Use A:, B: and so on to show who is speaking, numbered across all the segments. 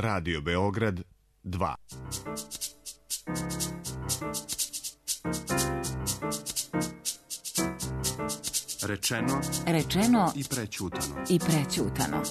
A: Radio Beograd 2.
B: Rečeno i prećutano.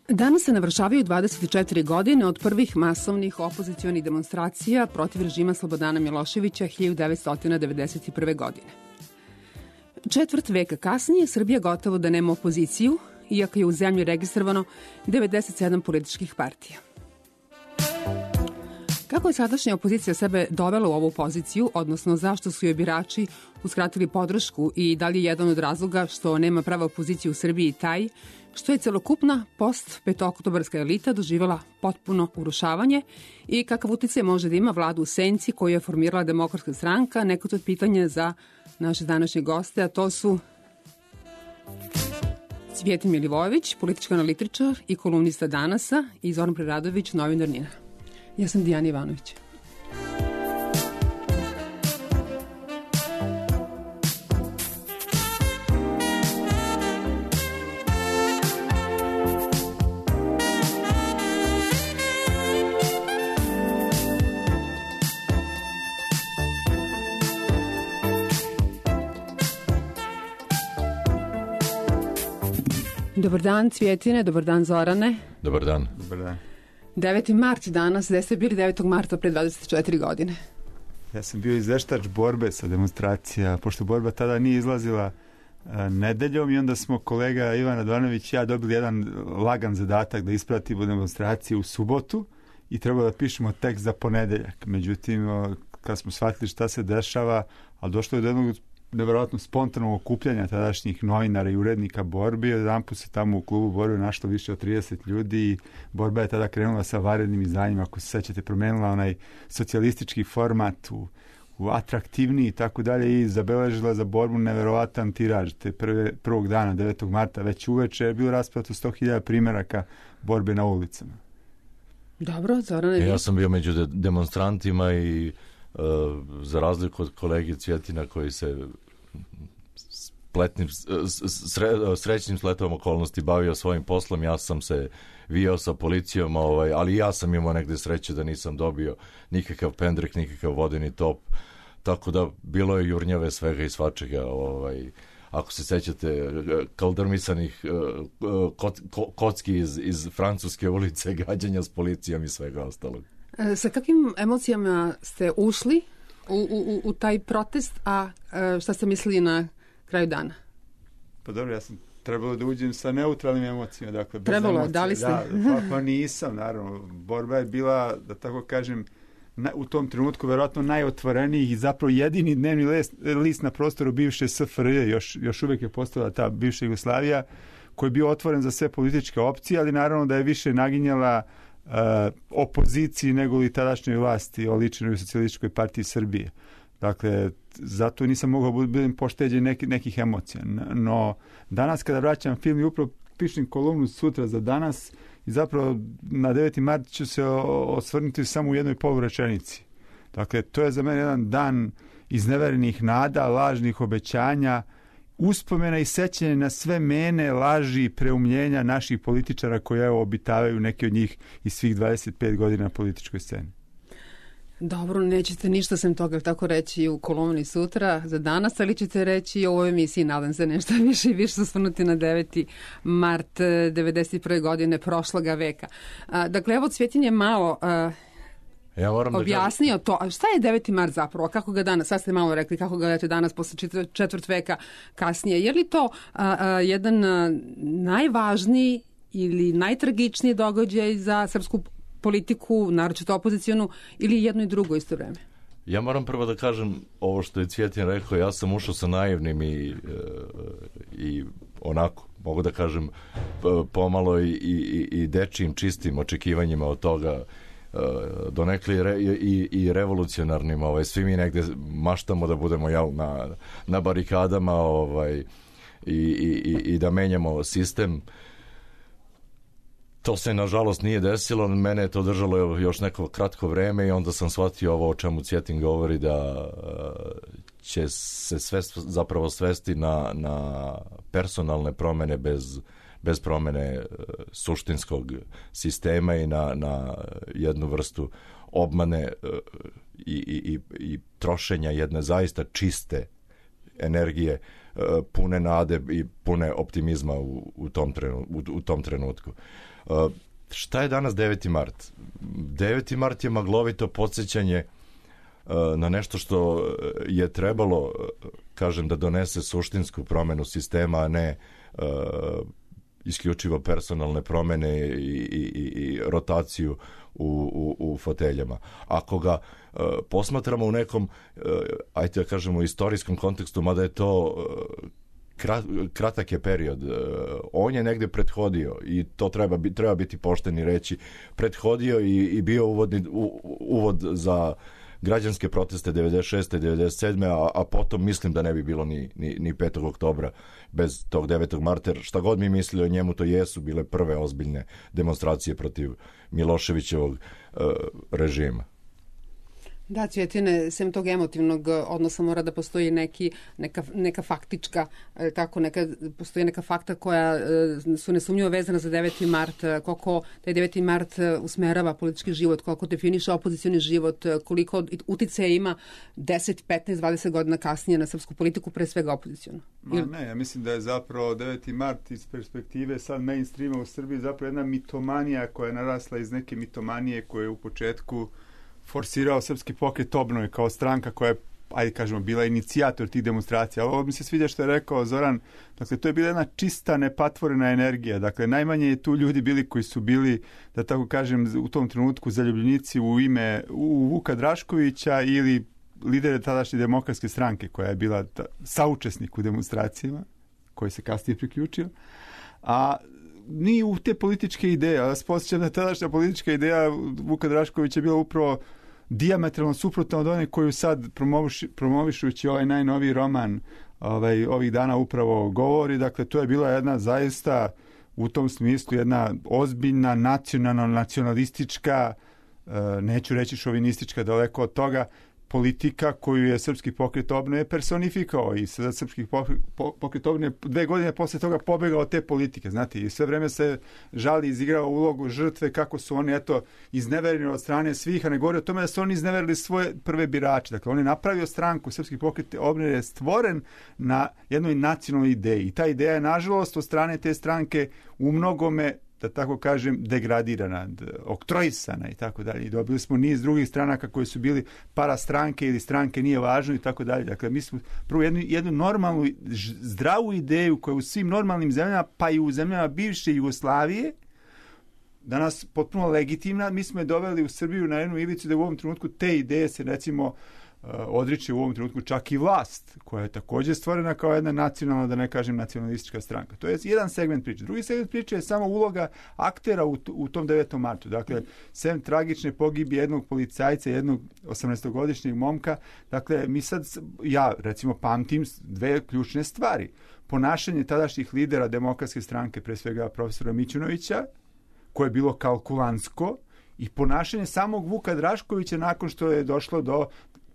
C: Danas se navršavaju 24 godine od prvih masovnih opozicionih demonstracija protiv režima Slobodana Miloševića 1991. godine. Četvrt veka kasnije Srbija gotovo da nema opoziciju, iako je u zemlji registrovano 97 političkih partija. Kako je sadašnja opozicija sebe dovela u ovu poziciju, odnosno zašto su joj birači uskratili podršku i da li je jedan od razloga što nema prava opozicije u Srbiji taj što je celokupna post-petooktobarska elita doživjela potpuno urušavanje i kakav uticaj može da ima vlada u senci koju je formirala Demokratska stranka, neko to je pitanje za naše današnje goste, a to su Cvijetin Milivojević, politički analitičar i kolumnista Danasa, i Zoran Preradović, novinar NIN-a. Ja sam Dijana Ivanović. Dobar dan, Cvjetine, dobar dan, Zorane.
D: Dobar dan.
E: Dobar dan.
C: 9. mart danas, gde ste bili 9. marta pre 24 godine?
E: Ja sam bio izveštač borbe sa demonstracija, pošto borba tada nije izlazila nedeljom i onda smo kolega Ivan Radovanović i ja dobili jedan lagan zadatak da ispratimo demonstracije u subotu i trebalo da pišemo tekst za ponedeljak. Međutim, kad smo shvatili šta se dešava, ali došlo je do jednog nevjerojatno spontanog okupljanja tadašnjih novinara i urednika borbi. Jedanput se tamo u klubu borbe našlo više od 30 ljudi i borba je tada krenula sa vanrednim izdanjima, ako se sećate, promenila onaj socijalistički format u atraktivniji i tako dalje i zabeležila za borbu nevjerovatan tiraž. Te prvog dana, 9. marta, već uveče je bilo rasprato 100.000 primjeraka borbe na ulicama.
C: Dobro, Zorane.
D: Ja sam bio među demonstrantima i za razliku od kolege Cvjetina koji se srećnim sletom okolnosti bavio svojim poslom, ja sam se vijao sa policijom, ali ja sam imao negde sreće da nisam dobio nikakav pendrek, nikakav vodeni top, tako da bilo je jurnjave svega i svačega, ako se sećate kaldrmisanih kocki iz francuske ulice, gađanja s policijom i svega ostalog.
C: Sa kakvim emocijama ste ušli u taj protest, a šta ste mislili na kraju dana?
E: Pa dobro, ja sam trebalo da uđem sa neutralnim emocijama. Dakle, bez
C: trebalo,
E: emocije.
C: Da li ste?
E: Da, pa nisam, naravno. Borba je bila, da tako kažem, u tom trenutku verovatno najotvoreniji i zapravo jedini dnevni list na prostoru bivše SFRJ, još uvijek je postala ta bivša Jugoslavija, koji je bio otvoren za sve političke opcije, ali naravno da je više naginjala opoziciji nego li tadašnjoj vlasti oličenoj u Socijalističkoj partiji Srbije. Dakle, zato nisam mogao biti pošteđen nekih emocija. No, danas kada vraćam film i upravo pišem kolumnu sutra za Danas i zapravo na 9. mart ću se osvrnuti samo u jednoj polurečenici. Dakle, to je za mene jedan dan izneverenih nada, lažnih obećanja, uspomena i sećanja na sve mene, laži i preumljenja naših političara koji obitavaju neki od njih i svih 25 godina na političkoj sceni.
C: Dobro, nećete ništa sem toga tako reći u kolumni sutra za danas, ali ćete reći u ovoj emisiji, nadam se, nešto više i više osvrnuti na 9. mart 91. godine prošloga veka. Dakle, evo Cvjetin je malo
D: ja moram
C: objasnio to. A šta je 9. mart zapravo? Kako ga danas, sad ste malo rekli, kako ga gledate danas posle četvrt veka kasnije? Je li to jedan najvažniji ili najtragičniji događaj za srpsku politiku, naročito opozicijonu, ili jedno i drugo isto vreme?
D: Ja moram prvo da kažem ovo što je Cvjetin rekao, ja sam ušao sa naivnim i onako, mogu da kažem, pomalo i dečijim čistim očekivanjima od toga, donekli i revolucionarnim, svi mi negde maštamo da budemo na barikadama i da menjamo sistem. To se nažalost nije desilo, mene je to držalo još neko kratko vreme i onda sam shvatio ovo o čemu Cvjetin govori, da će se sve zapravo svesti na personalne promene bez promene suštinskog sistema i na jednu vrstu obmane i trošenja jedne zaista čiste energije, pune nade i pune optimizma u tom trenutku. Šta je danas 9. mart? 9. mart je maglovito podsjećanje na nešto što je trebalo, kažem, da donese suštinsku promenu sistema, a ne isključivo personalne promene i rotaciju u foteljama. Ako ga posmatramo u nekom, ajde da kažemo, istorijskom kontekstu, mada je to kratak je period, on je negde prethodio i to treba biti pošten i reći, prethodio i bio uvod za građanske proteste 96. 97. a potom mislim da ne bi bilo ni 5. oktobra bez tog 9. marta, jer šta god mi mislili o njemu, to jesu bile prve ozbiljne demonstracije protiv Miloševićevog režima.
C: Da, Cvjetine, sem tog emotivnog odnosa mora da postoji neka faktička, postoji neka fakta koja su nesumnjivo vezana za 9. mart, koliko taj 9. mart usmerava politički život, koliko definiše opozicioni život, koliko uticaja ima 10, 15, 20 godina kasnije na srpsku politiku, pre svega opozicijonu.
E: Ne, ja mislim da je zapravo 9. mart iz perspektive sad mainstreama u Srbiji zapravo jedna mitomanija koja je narasla iz neke mitomanije koje je u početku forsirao Srpski pokret obnove kao stranka koja je, ajde kažemo, bila inicijator tih demonstracija. Ovo mi se sviđa što je rekao Zoran, dakle, to je bila jedna čista, nepatvorena energija. Dakle, najmanje je tu ljudi bili koji su bili, da tako kažem, u tom trenutku zaljubljenici u Vuka Draškovića ili lidere tadašnje demokratske stranke koja je bila saučesnik u demonstracijama, koji se kasnije priključio. A ni u te političke ideje. Ja vas posjećam da tadašnja politička ideja Vuka Draškovića je bila upravo dijametralno suprotna od one koju sad promovišući ovaj najnoviji roman ovih dana upravo govori. Dakle, to je bila jedna zaista u tom smislu jedna ozbiljna nacionalistička, neću reći šovinistička, daleko od toga, politika koju je Srpski pokret obnove personifikao i sada Srpski pokret obnove 2 godine posle toga pobegao od te politike, znate, i sve vreme se žali, izigrao ulogu žrtve, kako su oni, iznevereni od strane svih, a ne govori o tome da su oni izneverili svoje prve birače. Dakle, on je napravio stranku, Srpski pokret obnove je stvoren na jednoj nacionalnoj ideji i ta ideja je, nažalost, od strane te stranke u mnogome, da tako kažem, degradirana, oktroisana i tako dalje. I dobili smo niz drugih stranaka koji su bili parastranke ili stranke nije važno i tako dalje. Dakle, mi smo prvo jednu normalnu, zdravu ideju koja u svim normalnim zemljama, pa i u zemljama bivše Jugoslavije, danas potpuno legitimna, mi smo je doveli u Srbiju na jednu ivicu da u ovom trenutku te ideje se, recimo, odriče u ovom trenutku čak i vlast, koja je također stvorena kao jedna nacionalna, da ne kažem, nacionalistička stranka. To je jedan segment priče. Drugi segment priče je samo uloga aktera u tom 9. martu. Dakle, sem tragične pogibije jednog policajca, jednog 18-godišnjeg momka, dakle, mi sad, ja recimo pamtim 2 ključne stvari. Ponašanje tadašnjih lidera demokratske stranke, pre svega profesora Mićunovića, koje je bilo kalkulantsko, i ponašanje samog Vuka Draškovića nakon što je došlo do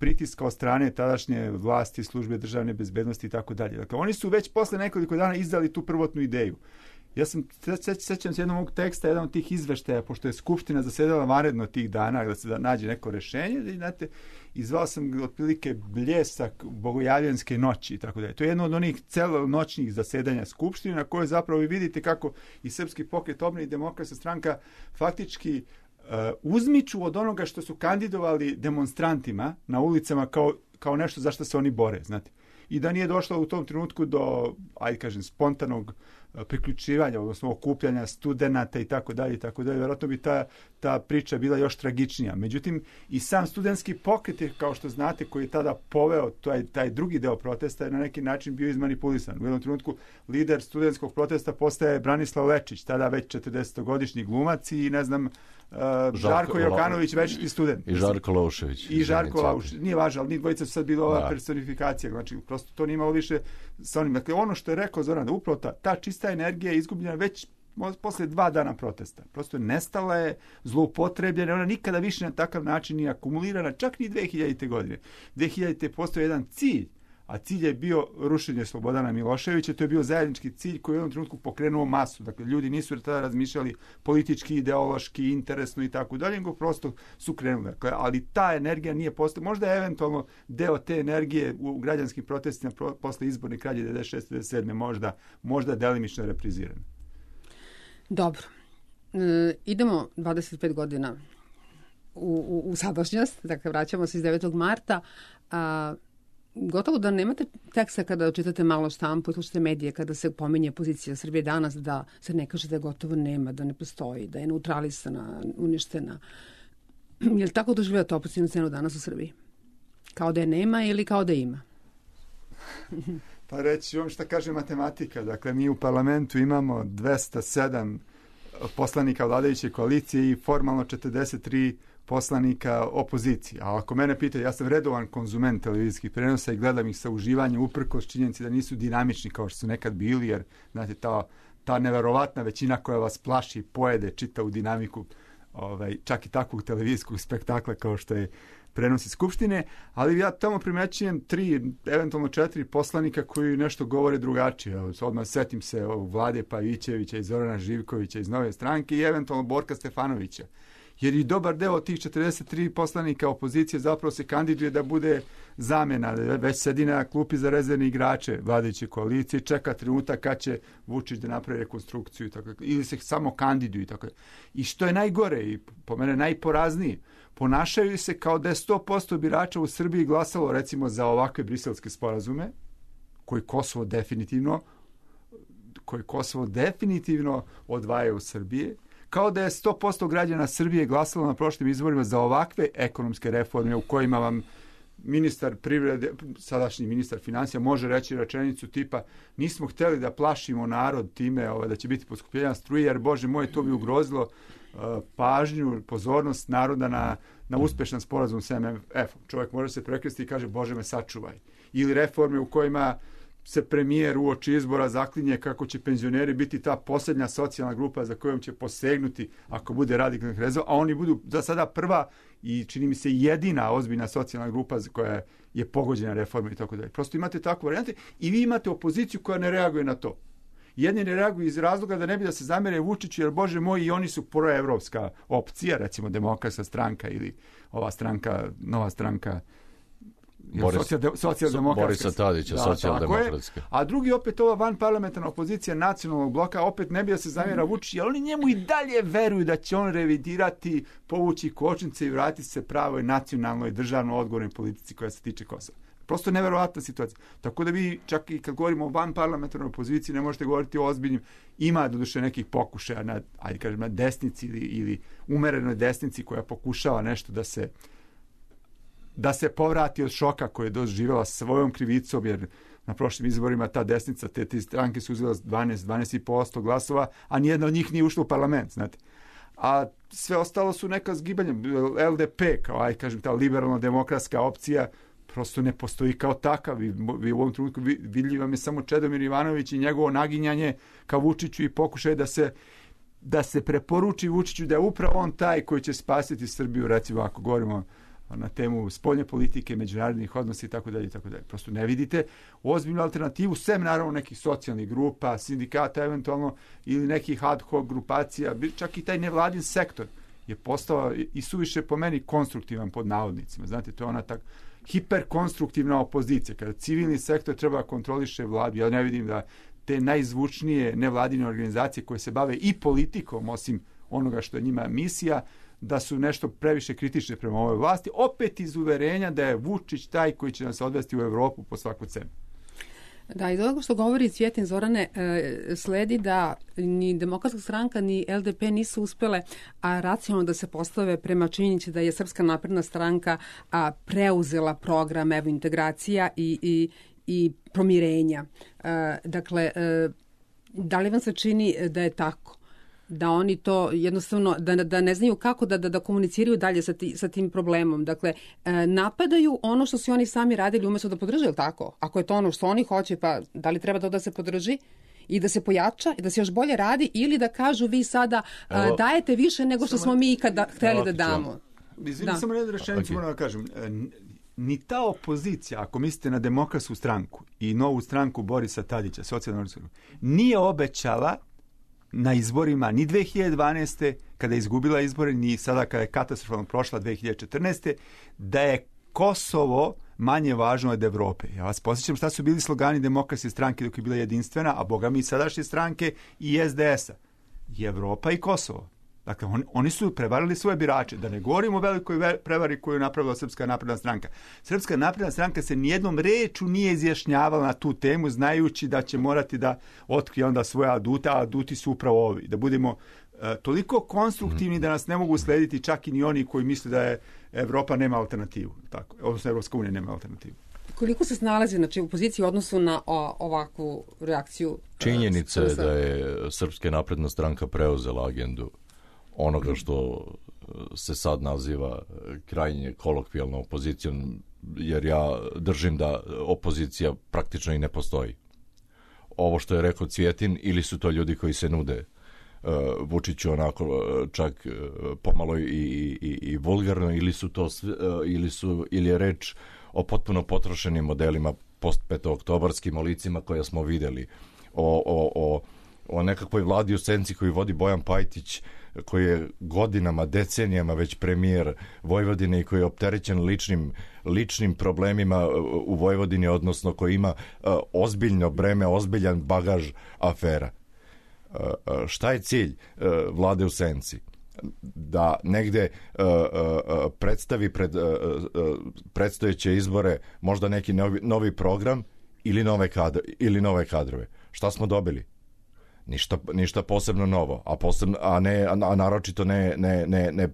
E: pritiska od strane tadašnje vlasti, službe državne bezbednosti i tako dalje. Dakle, oni su već posle nekoliko dana izdali tu prvotnu ideju. Ja sećam se jednog mog teksta, jedan od tih izveštaja, pošto je Skupština zasedala vanredno tih dana, da se nađe neko rešenje, da, znate, i zvao sam otprilike bljesak bogojavljanske noći i tako dalje. To je jedno od onih celonoćnih zasedanja Skupštine na kojoj zapravo vi vidite kako i Srpski pokret obnove i Demokratska stranka faktički uzmiču od onoga što su kandidovali demonstrantima na ulicama kao nešto za što se oni bore, znate. I da nije došlo u tom trenutku do, ajde kažem, spontanog priključivanja, odnosno okupljanja studenata i tako dalje, vjerojatno bi ta priča bila još tragičnija. Međutim, i sam studentski pokret je, kao što znate, koji je tada poveo taj drugi deo protesta, je na neki način bio izmanipulisan. U jednom trenutku lider studentskog protesta postaje Branislav Lečić, tada već 40-godišnji glumac i ne znam, Žarko Jokanović, večiti student.
D: I Žarko Laušević.
E: I Žarko Laušević. Nije važno, ali ni dvojica su sad bila ova personifikacija. Znači, prosto to nije imalo više sa onim. Dakle, ono što je rekao Zoran, da upravo ta čista energija je izgubljena već posle 2 dana protesta. Prosto je nestala, je zloupotrebljena, ona nikada više na takav način nije akumulirana, čak ni 2000. godine. 2000. postoji jedan cilj, a cilj je bio rušenje Slobodana Miloševića, to je bio zajednički cilj koji je u jednom trenutku pokrenuo masu. Dakle, ljudi nisu tada razmišljali politički, ideološki, interesno i tako dalje, nego prosto su krenuli. Dakle, ali ta energija nije postala, možda je eventualno deo te energije u građanskim protestima posle izborne krađe 96-97 možda delimično repriziran.
C: Dobro. Idemo 25 godina u sadašnjost, dakle vraćamo se iz 9. marta, gotovo da nemate teksta kada čitate malo štampu i slušate medije, kada se pominje pozicija Srbije danas, da se ne kaže da je gotovo nema, da ne postoji, da je neutralisana, uništena. Je li tako doživljate opozicionu scenu danas u Srbiji? Kao da je nema ili kao da ima?
E: Pa reći vam šta kaže matematika. Dakle, mi u parlamentu imamo 207 poslanika vladajuće koalicije i formalno 43 poslanika opozicije. A ako mene pita, ja sam redovan konzument televizijskih prenosa i gledam ih sa uživanjem uprkos činjenici da nisu dinamični kao što su nekad bili, jer znate, ta neverovatna većina koja vas plaši, pojede, čita u dinamiku čak i takvog televizijskog spektakla kao što je prenosi Skupštine, ali ja tamo primećujem 3, eventualno 4 poslanika koji nešto govore drugačije. Odmah setim se Vlade Pavićevića i Zorana Živkovića iz Nove stranke i eventualno Borka Stefanovića. Jer i dobar deo tih 43 poslanika opozicije zapravo se kandiduje da bude zamena, već sedi na klupi za rezervne igrače vladajuće koalicije, čeka trenutak kad će Vučić da napravi rekonstrukciju i tako, ili se samo kandiduju i tako. I što je najgore i po mene najporaznije, ponašaju se kao da je 100% birača u Srbiji glasalo recimo za ovakve briselske sporazume, koji Kosovo definitivno odvaja u Srbije, kao da je 100% građana Srbije glasalo na prošlim izborima za ovakve ekonomske reforme u kojima vam ministar privrede, sadašnji ministar financija može reći rečenicu tipa nismo hteli da plašimo narod time da će biti poskupljenja struje, jer Bože moj, to bi ugrozilo pažnju, pozornost naroda na uspešan sporazum s MMF-om. Čovjek može se prekresti i kaže Bože me sačuvaj. Ili reforme u kojima se premijer uoči izbora zaklinje kako će penzioneri biti ta posljednja socijalna grupa za kojom će posegnuti ako bude radikalnih rezova, a oni budu za sada prva i čini mi se jedina ozbiljna socijalna grupa koja je pogođena reformom i tako dalje. Prosto imate takve varijante i vi imate opoziciju koja ne reaguje na to. Jedni ne reaguju iz razloga da ne bi da se zamere Vučiću, jer Bože moj, i oni su proevropska opcija, recimo Demokratska stranka ili ova stranka, nova stranka socijaldemokratska.
D: Borisa Tadića, socijaldemokratska.
E: A drugi opet ova vanparlamentarna opozicija nacionalnog bloka opet ne bi da se zamjera Vučić, jer oni njemu i dalje veruju da će on revidirati, povući kočnice i vratiti se pravoj nacionalnoj državno odgovornoj politici koja se tiče Kosova. Prosto neverovatna situacija. Tako da vi čak i kad govorimo o vanparlamentarnoj opoziciji ne možete govoriti o ozbiljnim, ima doduše nekih pokušaja na desnici ili umerenoj desnici koja pokušava nešto da se povrati od šoka koje je doživjela svojom krivicom, jer na prošlim izborima ta desnica, te stranke su uzela 12,5% glasova, a nijedna od njih nije ušla u parlament, znate. A sve ostalo su neka zgibanja. LDP, kao ta liberalno-demokratska opcija, prosto ne postoji kao takav. Vi u ovom trenutku vidljiv vam je samo Čedomir Ivanović i njegovo naginjanje ka Vučiću i pokušaj da se preporuči Vučiću da je upravo on taj koji će spasiti Srbiju, recimo ako govorimo na temu spoljne politike, međunarodnih odnosa i tako dalje. Prosto ne vidite ozbiljnu alternativu, sem naravno nekih socijalnih grupa, sindikata eventualno ili nekih ad hoc grupacija, čak i taj nevladin sektor je postao i suviše po meni konstruktivan pod navodnicima. Znate, to je ona tak hiperkonstruktivna opozicija, kada civilni sektor treba kontroliše vladu. Ja ne vidim da te najzvučnije nevladine organizacije koje se bave i politikom, osim onoga što je njima misija, da su nešto previše kritične prema ovoj vlasti, opet iz uverenja da je Vučić taj koji će nas odvesti u Evropu po svaku cenu.
C: Da, i do toga što govori Cvjetin, Zorane, sledi da ni Demokratska stranka ni LDP nisu uspele racionalno da se postave prema činjenici da je Srpska napredna stranka preuzela program evrointegracija i pomirenja. Dakle, da li vam se čini da je tako? Da oni to jednostavno, da ne znaju kako da komuniciraju dalje sa tim problemom. Dakle, napadaju ono što su oni sami radili umjesto da podrže, ili tako? Ako je to ono što oni hoće, pa da li treba to da se podrži i da se pojača i da se još bolje radi, ili da kažu vi sada dajete više nego što smo mi ikada hteli da damo?
E: Izvini, samo jednu rečenicu moram da kažem. Ni ta opozicija, ako mislite na Demokratsku stranku i novu stranku Borisa Tadića, socijalno, nije obećala na izborima ni 2012. kada je izgubila izbore, ni sada kada je katastrofalno prošla 2014. da je Kosovo manje važno od Evrope. Ja vas posjećam šta su bili slogani Demokratske stranke dok je bila jedinstvena, a boga mi sadašnje stranke i SDS-a. I Evropa i Kosovo. Dakle, oni su prevarili svoje birače. Da ne govorimo o velikoj prevari koju je napravila Srpska napredna stranka. Srpska napredna stranka se nijednom reču nije izjašnjavala na tu temu, znajući da će morati da otkrije onda svoje adute, a aduti su upravo ovi. Da budemo toliko konstruktivni da nas ne mogu slediti čak i ni oni koji misle da je Evropa nema alternativu. Tako, odnosno Evropska unija nema alternativu.
C: Koliko se snalazi, znači, u poziciji u odnosu na ovakvu reakciju?
D: Činjenica je da je Srpska napredna stranka preuzela agendu onoga što se sad naziva krajnje kolokvijalnom opozicijom, jer ja držim da opozicija praktično i ne postoji. Ovo što je rekao Cvjetin, ili su to ljudi koji se nude Vučiću onako čak pomalo i vulgarno, ili je reč o potpuno potrošenim modelima post-petooktobarskim, o licima koja smo videli, o nekakvoj vladi u senci koju vodi Bojan Pajtić, koji je godinama, decenijama već premijer Vojvodine i koji je opterećen ličnim problemima u Vojvodini, odnosno koji ima ozbiljno breme, ozbiljan bagaž afera. Šta je cilj vlade u senci? Da negde predstavi pred predstojeće izbore možda neki novi program ili nove kadrove. Šta smo dobili? Ništa posebno novo, a naročito ne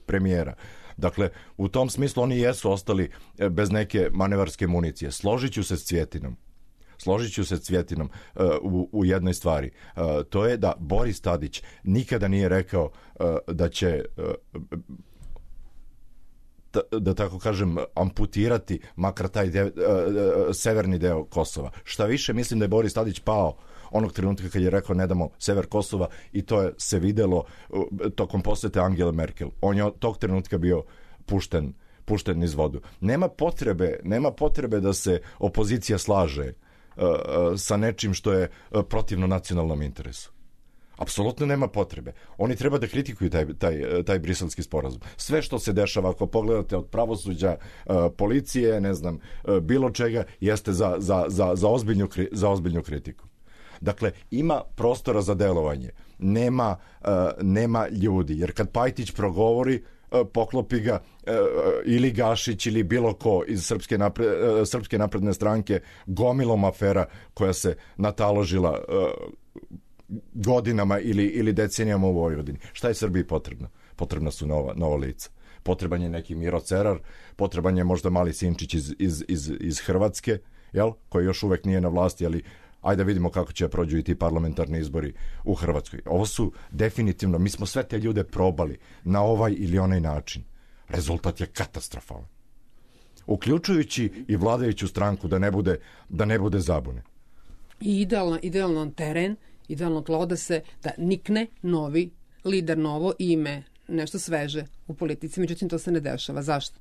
D: premijera. Dakle, u tom smislu oni jesu ostali bez neke manevarske municije. Složit ću se s Cvjetinom u jednoj stvari. To je da Boris Tadić nikada nije rekao da će da tako kažem amputirati makar taj severni deo Kosova. Šta više, mislim da je Boris Tadić pao onog trenutka kad je rekao ne damo sever Kosova, i to je se videlo tokom posete Angele Merkel. On je od tog trenutka bio pušten niz vodu. Nema potrebe da se opozicija slaže sa nečim što je protivno nacionalnom interesu. Apsolutno nema potrebe. Oni treba da kritikuju taj briselski sporazum. Sve što se dešava, ako pogledate od pravosuđa, policije, ne znam, bilo čega, jeste za ozbiljnu kritiku. Dakle, ima prostora za delovanje. Nema ljudi. Jer kad Pajtić progovori, poklopi ga ili Gašić ili bilo ko iz Srpske napredne stranke gomilom afera koja se nataložila godinama ili decenijama u Vojvodini. Šta je Srbiji potrebno? Potrebna su nova lica. Potreban je neki Miro Cerar, potreban je možda mali Sinčić iz Hrvatske, koji još uvek nije na vlasti, ali ajde da vidimo kako će prođu i ti parlamentarni izbori u Hrvatskoj. Ovo su definitivno, mi smo sve te ljude probali na ovaj ili onaj način. Rezultat je katastrofalan. Uključujući i vladajuću stranku, da ne bude zabune.
C: I idealan teren, idealno tlo da nikne novi lider, novo ime, nešto sveže u politici. Međutim, to se ne dešava. Zašto?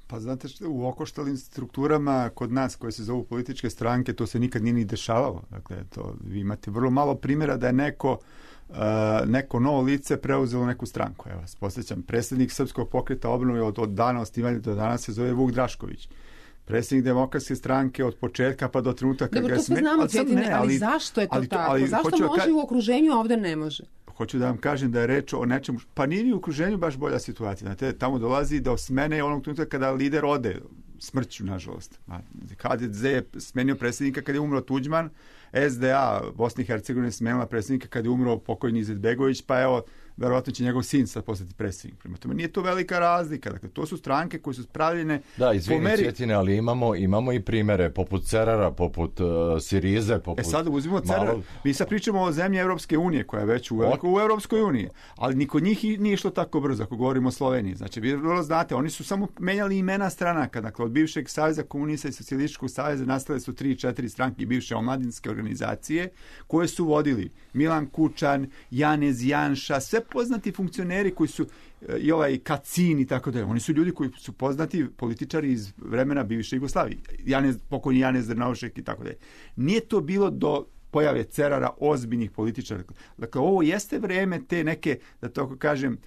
E: Pa znate što, u okoštalim strukturama kod nas koje se zovu političke stranke, to se nikad nije ni dešavalo. Dakle, vi imate vrlo malo primjera da je neko novo lice preuzelo neku stranku. Evo, posjećam, predsjednik Srpskog pokreta obnove od dana osnivanja do danas se zove Vuk Drašković. Predsjednik Demokratske stranke od početka pa do trenutka kad ga je
C: smeni. Dobro, to sve znamo, ali zašto je to tako? Zašto može u okruženju, a ovdje ne može?
E: Hoću da vam kažem da je reč o nečemu, pa nije ni u okruženju baš bolja situacija. Znate, tamo dolazi do smene onog trenutka kada lider ode smrću, nažalost. HDZ je smenio predsjednika kada je umro Tuđman, SDA Bosne i Hercegovine smenila predsjednika kada je umro pokojni Izetbegović, pa evo, verovatno će njegov sin sad postati predsjednik. Prema tome, nije to velika razlika. Dakle, to su stranke koje su spravljene
D: da, izvini, Cvjetine, ali imamo i primere poput Cerara, poput Sirize, poput...
E: Sad uzmimo Cerara. Mi sad pričamo o zemlji Evropske unije, koja je već u Evropskoj uniji, ali niko njih nije išlo tako brzo, ako govorimo o Sloveniji. Znači, vi vrlo znate, oni su samo menjali imena stranaka. Dakle, od bivšeg Saveza komunista i Socijalističkog saveza nastale su 3-4 stranke bivše omladinske organizacije, koje su vodili Milan Kučan, Janez Janša, sve poznati funkcioneri koji su i ovaj Kacin i tako dalje. Oni su ljudi koji su poznati političari iz vremena bivše Jugoslavije. Pokojni Janez Drnovšek i tako dalje. Nije to bilo do pojave Cerara ozbiljnih političara. Dakle, ovo jeste vreme te neke, da tako kažem,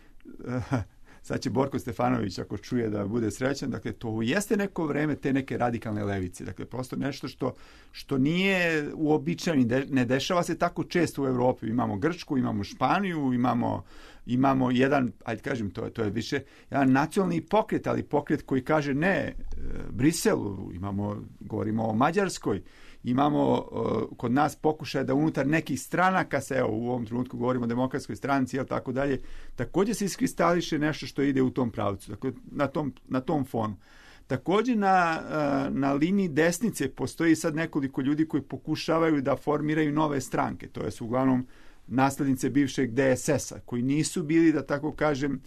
E: sad će Borko Stefanović ako čuje da bude srećan, dakle to jeste neko vreme te neke radikalne levice, dakle prosto nešto što nije uobičajeno, ne dešava se tako često u Evropi. Imamo Grčku, imamo Španiju, imamo jedan, ajde kažem, to je više jedan nacionalni pokret, ali pokret koji kaže ne Briselu, govorimo o Mađarskoj, imamo kod nas pokušaj da unutar nekih stranaka se, evo u ovom trenutku govorimo o Demokratskoj stranci, jel tako dalje, također se iskristališe nešto što ide u tom pravcu, dakle, na tom fonu. Također na liniji desnice postoji sad nekoliko ljudi koji pokušavaju da formiraju nove stranke, to su uglavnom naslednice bivšeg DSS-a, koji nisu bili, da tako kažem,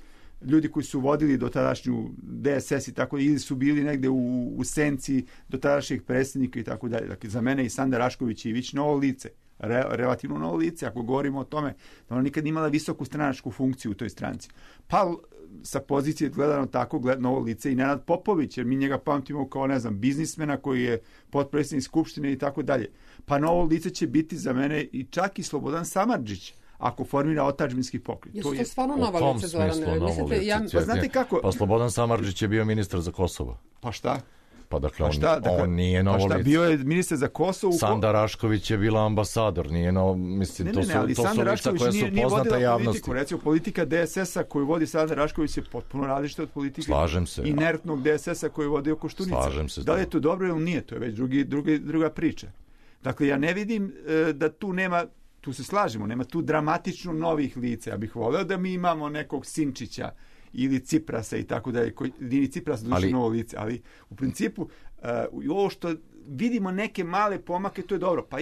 E: ljudi koji su vodili do tadašnju DSS i tako, ili su bili negde u senci do tadašnjeg predsjednika i tako dalje. Dakle, za mene i Sanda Rašković Ivić novo lice, relativno novo lice, ako govorimo o tome da ona nikad imala visoku stranačku funkciju u toj stranci. Pa sa pozicije gledano tako novo lice i Nenad Popović, jer mi njega pamtimo kao, ne znam, biznismena koji je potpredsjednik Skupštine i tako dalje. Pa novo lice će biti za mene i čak i Slobodan Samardžić, ako formira otadžbinski pokret.
C: Jesu to stvarno nova lice, Zorane?
E: Pa znate kako?
D: Pa Slobodan Samardžić je bio ministar za Kosovo.
E: Pa šta?
D: Pa dakle, on nije novo lice.
E: Bio je ministar za Kosovo.
D: Sanda Rašković je bila ambasador, nije novo, mislim, to su lica koja su poznata javnosti. Politiku.
E: Recimo, politika DSS-a koju vodi Sanda Rašković je potpuno različita od politike inertnog DSS-a koju vodi Koštunica.
D: Slažem se.
E: Da li je to dobro ili nije, to je već druga priča. Dakle, ja ne vidim da tu nema, tu se slažemo, nema tu dramatično novih lica. Ja bih voleo da mi imamo nekog Sinčića ili Ciprasa i tako dalje, ili Ciprasa dođe novo lice, ali u principu ovo što vidimo neke male pomake, to je dobro. Pa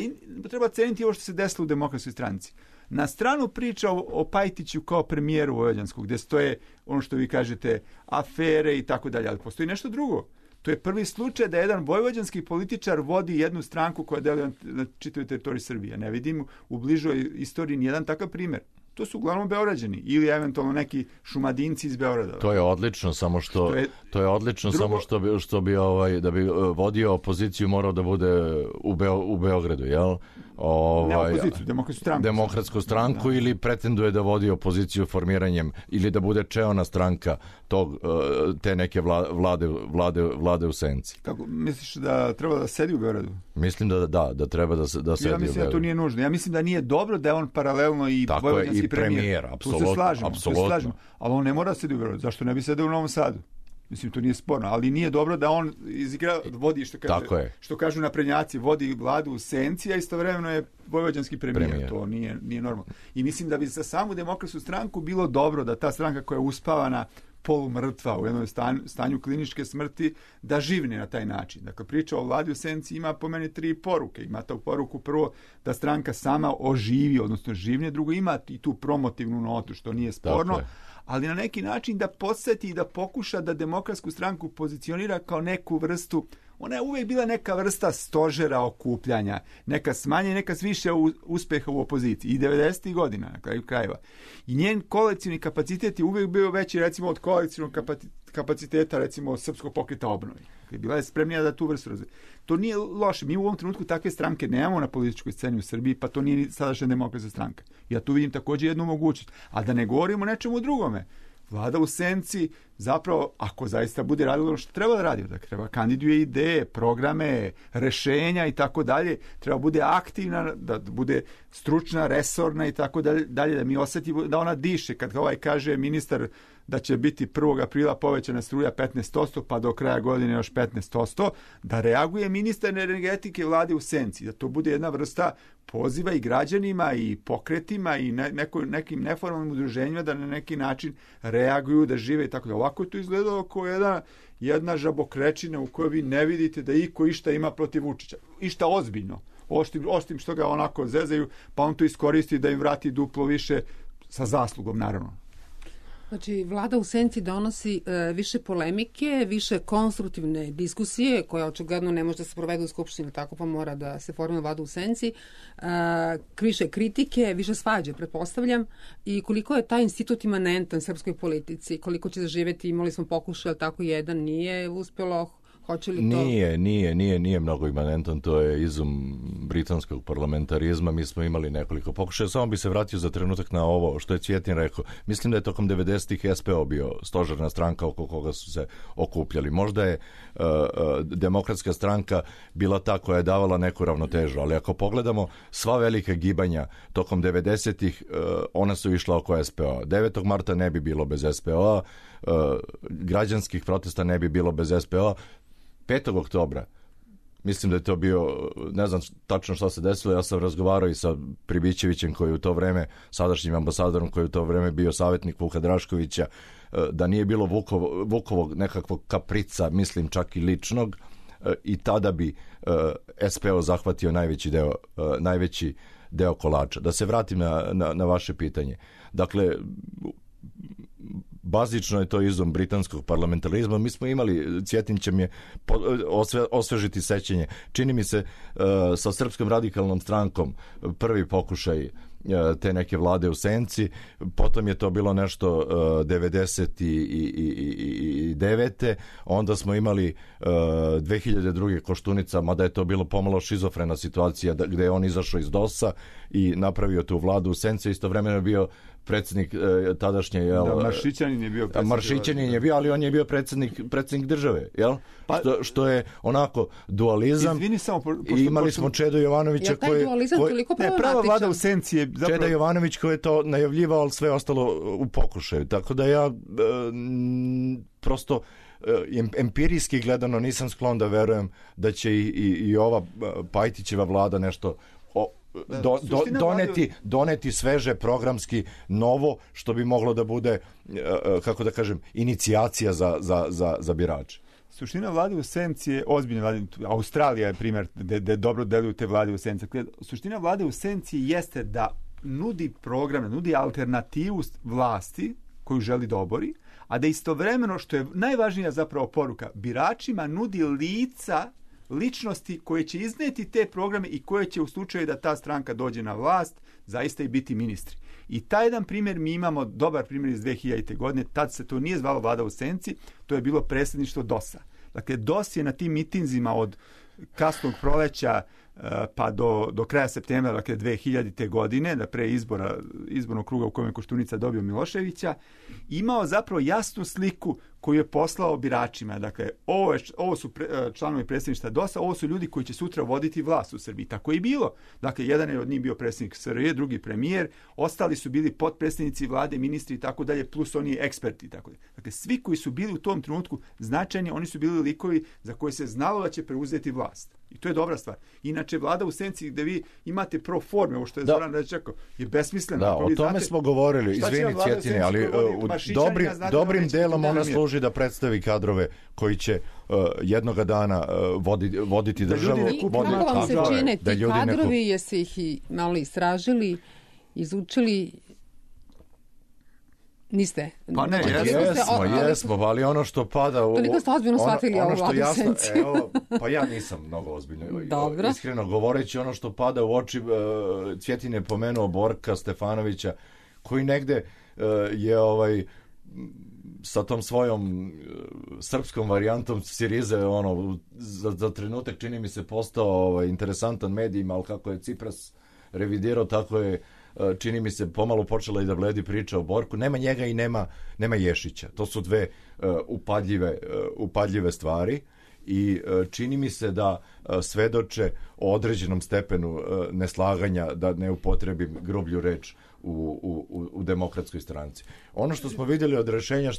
E: treba ceniti ovo što se desilo u Demokratskoj stranci. Na stranu priča o Pajtiću kao premijeru vojvođanskog, gde stoje ono što vi kažete afere i tako dalje, ali postoji nešto drugo. To je prvi slučaj da jedan vojvođanski političar vodi jednu stranku koja deluje na čitavoj teritoriji Srbije. Ne vidim u bližoj istoriji nijedan takav primjer. To su uglavnom Beograđani ili eventualno neki Šumadinci iz Beograda.
D: To je odlično, samo što što bi da bi vodio opoziciju morao da bude u Beogradu, jel?
E: Ne opoziciju, Demokratsku stranku
D: da. Ili pretenduje da vodi opoziciju formiranjem ili da bude čeona stranka te neke vlade u senci.
E: Kako misliš da treba da sedi u Beogradu?
D: Mislim da treba da sedi u Beogradu.
E: Ja mislim da to nije nužno. Ja mislim da nije dobro da je on paralelno i vojvođanski premijer.
D: Apsolutno.
E: Ali on ne mora sedi u Beogradu. Zašto ne bi sedeo u Novom Sadu? Mislim, to nije sporno, ali nije dobro da on vodi, što kažu naprednjaci, vodi vladu u senci, a istovremeno je vojvođanski premijer. To nije normalno. I mislim da bi za samu Demokratsku stranku bilo dobro da ta stranka koja je uspavana polumrtva u jednom stanju kliničke smrti, da živne na taj način. Dakle, priča o vladi u senci ima po meni 3 poruke. Ima tu poruku prvo da stranka sama oživi, odnosno živne, drugo ima i tu promotivnu notu, što nije sporno, ali na neki način da podsjeti i da pokuša da Demokratsku stranku pozicionira kao neku vrstu, ona je uvijek bila neka vrsta stožera okupljanja, neka smanje, neka više uspeha u opoziciji i 90. godina na kraju krajeva. I njen koalicijni kapacitet je uvijek bio veći recimo od koalicijnog kapaciteta, recimo, Srpskog pokreta obnovi. Bila je spremnija da tu vrstu razvije. To nije loše. Mi u ovom trenutku takve stranke nemamo na političkoj sceni u Srbiji, pa to nije ni sadašnja demokratska stranka. Ja tu vidim također jednu mogućnost. A da ne govorimo o nečemu drugome. Vlada u senci, zapravo, ako zaista bude radilo ono što treba da radi, da treba kandiduje ideje, programe, rešenja i tako dalje, treba bude aktivna, da bude stručna, resorna i tako dalje, da mi osjetimo da ona diše. Kad kaže ministar da će biti 1. aprila povećana struja 15%, pa do kraja godine još 15%, da reaguje ministar energetike Vlade u senci, da to bude jedna vrsta poziva i građanima i pokretima i nekim neformalnim udruženjima da na neki način reaguju, da žive i tako da. Ovako je to izgledalo kao jedna žabokrečina u kojoj vi ne vidite da iko išta ima protiv Vučića. Išta ozbiljno. Osim što ga onako zezaju, pa on to iskoristi da im vrati duplo više sa zaslugom, naravno.
C: Znači, vlada u senci donosi više polemike, više konstruktivne diskusije, koja očigledno ne može da se provede u Skupštini, tako pa mora da se formira vlada u senci, više kritike, više svađe, pretpostavljam, i koliko je taj institut imanentan srpskoj politici, koliko će zaživeti, imali smo pokušaj, tako jedan nije uspjelo. Hoće li to...
D: Nije mnogo imanentan, to je izum britanskog parlamentarizma. Mi smo imali nekoliko pokušaja. Samo bi se vratio za trenutak na ovo što je Cvjetin rekao. Mislim da je tokom 90-ih SPO bio stožerna stranka oko koga su se okupljali. Možda je demokratska stranka bila ta koja je davala neku ravnotežu, ali ako pogledamo sva velika gibanja tokom 90-ih, ona su išla oko SPO. 9. marta ne bi bilo bez SPO, građanskih protesta ne bi bilo bez SPO. 5. oktobra, mislim da je to bio, ne znam tačno šta se desilo, ja sam razgovarao i sa Pribićevićem koji je u to vreme, sadašnjim ambasadorom koji je u to vreme bio savjetnik Vuka Draškovića, da nije bilo Vukovog nekakvog kaprica, mislim čak i ličnog, i tada bi SPO zahvatio najveći deo kolača. Da se vratim na vaše pitanje. Dakle, bazično je to izum britanskog parlamentarizma. Mi smo imali, Cvjetin će mi osvežiti sećanje, čini mi se sa Srpskom radikalnom strankom prvi pokušaj te neke vlade u senci, potom je to bilo nešto 99. Onda smo imali 2002. Koštunica, mada je to bilo pomalo šizofrena situacija gde je on izašao iz DOS-a i napravio tu vladu u senci, istovremeno je bio predsjednik tadašnje...
E: Maršićanin je bio predsjednik.
D: Maršićanin je bio, ali on je bio predsjednik države, jel? Što je onako dualizam.
E: Izvini samo...
D: I imali smo Čedo Jovanovića koji...
C: Je taj dualizam toliko problematičan?
E: Prava vlada u senci je zapravo...
D: Čeda Jovanović koji je to najavljivao, ali sve ostalo u pokušaju. Tako da ja prosto empirijski gledano nisam sklon da verujem da će i ova Pajtićeva vlada nešto... doneti sveže programski novo što bi moglo da bude, kako da kažem, inicijacija za birače.
E: Suština vlade u senci je ozbiljna vlada. Australija je primjer gde dobro deluju te vlade u senci. Suština vlade u senci jeste da nudi programe, nudi alternativu vlasti koju želi da obori, a da istovremeno, što je najvažnija zapravo poruka, biračima nudi ličnosti koje će izneti te programe i koje će u slučaju da ta stranka dođe na vlast zaista i biti ministri. I taj jedan primjer mi imamo, dobar primjer iz 2000. godine, tad se to nije zvalo vlada u senci, to je bilo predsjedništvo DOS-a. Dakle, DOS je na tim mitinzima od kasnog proleća pa do kraja septembra, dakle 2000. godine, da pre izbornog kruga u kojem je Koštunica dobio Miloševića, imao zapravo jasnu sliku koju je poslao biračima. Dakle, ovo su članovi predsjedništva DOS-a, ovo su ljudi koji će sutra voditi vlast u Srbiji. Tako je i bilo. Dakle, jedan je od njih bio predsjednik SRJ, drugi premijer, ostali su bili potpredsjednici vlade, ministri i tako dalje, plus oni eksperti i tako dalje. Dakle, svi koji su bili u tom trenutku značajni, oni su bili likovi za koje se znalo da će preuzeti vlast. I to je dobra stvar. Inače, vlada u senci gde vi imate pro forme, ovo što je Zoran već rekao, je besmisleno.
D: Da, o tome smo govorili, izvini Cvjetine, ali dobrim delom ona služi da predstavi kadrove koji će jednoga dana voditi državu.
C: Kako vam se čine ti kadrovi, jeste ih i malo istražili, izučili? Niste?
D: Pa ne, jesmo, ali ono što pada...
C: Toliko ste ozbiljno shvatili ovu vladu senci.
D: Pa ja nisam mnogo ozbiljno.
C: Dobro.
D: Iskreno govoreći, ono što pada u oči, Cvjetin je pomenuo Borka Stefanovića, koji negde je sa tom svojom srpskom varijantom Sirize, za trenutak čini mi se postao interesantan medijima, ali kako je Cipras revidirao, tako je, čini mi se, pomalo počela i da bledi priča o Borku. Nema njega i nema Ješića. To su dve upadljive stvari i čini mi se da svedoče o određenom stepenu neslaganja, da ne upotrebim grublju reč, u demokratskoj stranci. Ono što smo vidjeli od rešenja,